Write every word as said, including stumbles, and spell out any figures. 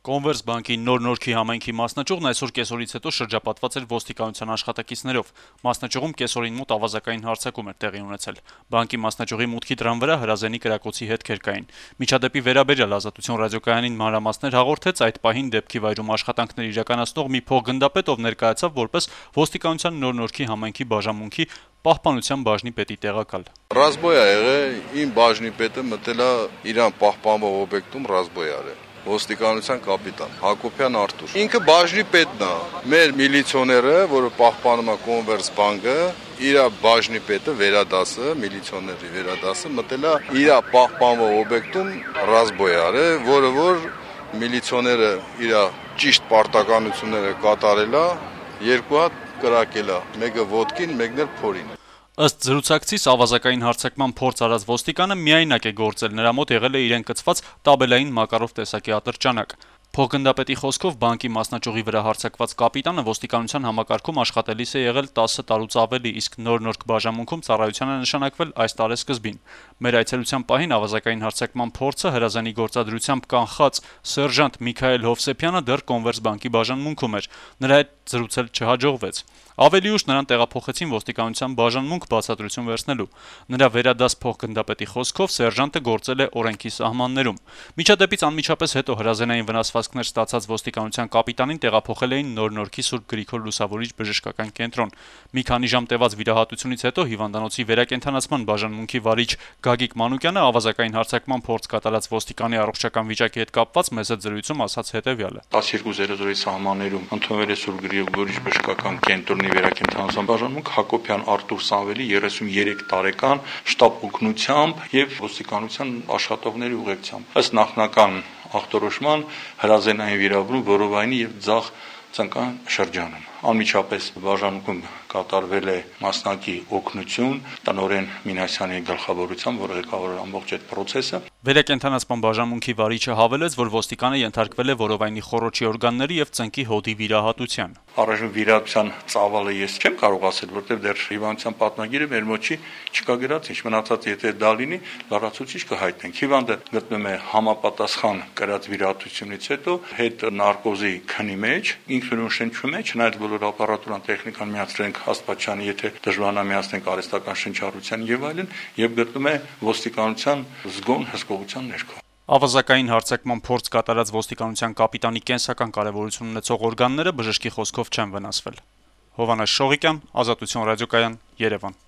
Կոնվերս բանկի նոր նորքի համայնքի մասնաճյուղն այսօր կեսօրից հետո շրջապատված էր ոստիկանության աշխատակիցներով։ Մասնաճյուղում կեսօրին մոտ ավազակային հարձակում էր տեղի ունեցել։ Բանկի մասնաճյուղի մուտքի դռան վրա հրազենի կրակոցի հետքեր կային։ Միջադեպի վերաբերյալ Ազատություն ռադիոկայանին մանրամասներ հաղորդեց այդ պահին դեպքի վայրում աշխատանքներ իրականացնող մի փոխգնդապետ, ով ներկայացավ որպես ոստիկանության նոր նորքի համայնքի բաժանմունքի պահպանության բաժնի պետի տեղակալ։ Ռազմոյ ա եղել, իմ բաժնի պետը մտել է իրան պահպանվող օբյեկտում ռազմոյ արել։ Ոստիկանության կապիտան Հակոբյան Արտուր։ Ինքը բաժնի պետն է։ Մեր միլիցիոները, որը պահպանում է Կոնվերս բանկը, իր բաժնի պետը վերադասը, միլիցիոների վերադասը մտել է իր պահպանվող օբյեկտում ռազմոյ արել, որը որ միլիցիոները իր ճիշտ պարտականությունները կատարել է, երկու հատ կրակել է, մեկը ոտքին, մեկն էլ փորին։ Ըստ զրուցակցիս ավազակային հարձակման փորձ արած ոստիկանը միայնակ է գործել, նրա մոտ եղել է իրեն կցված տաբելային մակարով տեսակի ատրճանակ։ Փոխգնդապետի խոսքով բանկի մասնաճյուղի վրա հարձակված կապիտանը ոստիկանության համակարգում աշխատելիս է եղել տասը տարուց ավելի, իսկ նոր նորք բաժանմունքում ծառայության է նշանակվել այս տարեսկզբին։ Մեր այցելության պահին ավազակային հարձակման փորձը հրազանի գործադրությամբ կանխած սերժանտ Միքայել Հովսեփյանը դեռ Կոնվերս բանկի բաժանմունքում էր։ Նրա հետ զրուցել չհաջողվեց։ Ավելի ուշ նրան տեղափոխեցին ոստիկանության բաժանմունք բացատրություն վերցնելու։ Նրա վերադաս փոխգնդապետի խոսքով սերժանտը գործել է օրենքի սահմաններում։ Միջադեպից անմիջապես հետո հրազենային վնասվածքներ ստացած ոստիկանության կապիտանին տեղափոխել էին Նոր նորքի Սուրբ Գրիգոր Լուսավորիչ բժշկական կենտրոն։ Մի քանի ժամ տևած վիրահատությունից հետո հիվանդանոցի վերակենդանացման բաժանմունքի վարիչ Գագիկ Մանուկյանը ավազակային հարձակման փորձ կատարած ոստիկանի առողջական վիճակի հետ կապված մեծ զրույցում ասաց հետևյալը. տասնյոթ զիրո զիրոյի սահմաններում ընդունվել է Սուրբ Գրիգորիչ բժշկական կենտրոնի վերակենդանացման բաժանմունք Հակոբյան Արտուր Սամվելի երեսունյերեք տարեկան շտապ օգնությամբ եւ ոստիկանության աշխատողների ուղեկցությամբ։ Ըստ նախնական ախտորոշման հրազենային վիրավորում որովայնի եւ ձախ ծնկան շրջանում։ Անմիջապես բաժանմունքում կատարվել է մասնակի օգնություն տնօրեն Մինասյանի գլխավորությամբ, որը ղեկավարել ամբողջ այդ process-ը։ Վերակենդանացման բաժանմունքի վարիչը հավելեց, որ ոստիկանը ենթարկվել է որովայնի խոռոչի օրգանների եւ ծնկի հոդի վիրահատության։ Առայժմ վիրահատության ծավալը ես չեմ կարող ասել, որտեղ դեռ հիվանդության պատնագիրը մեր մոտ չի, չկա գրած, ինչ մնացած եթե դա լինի, լարացուցիչ կհայտնենք։ Հիվանդը գտնվում է համապատասխան կրած վիրահատությունից հետո հետ նարկոզի քնի մեջ, ինքնուրույն մեջ, չնայած բոլոր ապարատուրան տեխնիկան միացրենք Աստվածյանի, եթե դժվարանա միացնենք արհեստական շնչառության եւ այլն, եւ գտնվում է ոստիկանության զգոն հսկողության ներքո։ Ավազակային հարձակման փորձ կատարած ոստիկանության կապիտանի կենսական կարևորություն ունեցող օրգանները բժշկի խոսքով չեն վնասվել։ Հովհաննես Շողիկյան, Ազատություն ռադիոկայան, Երևան։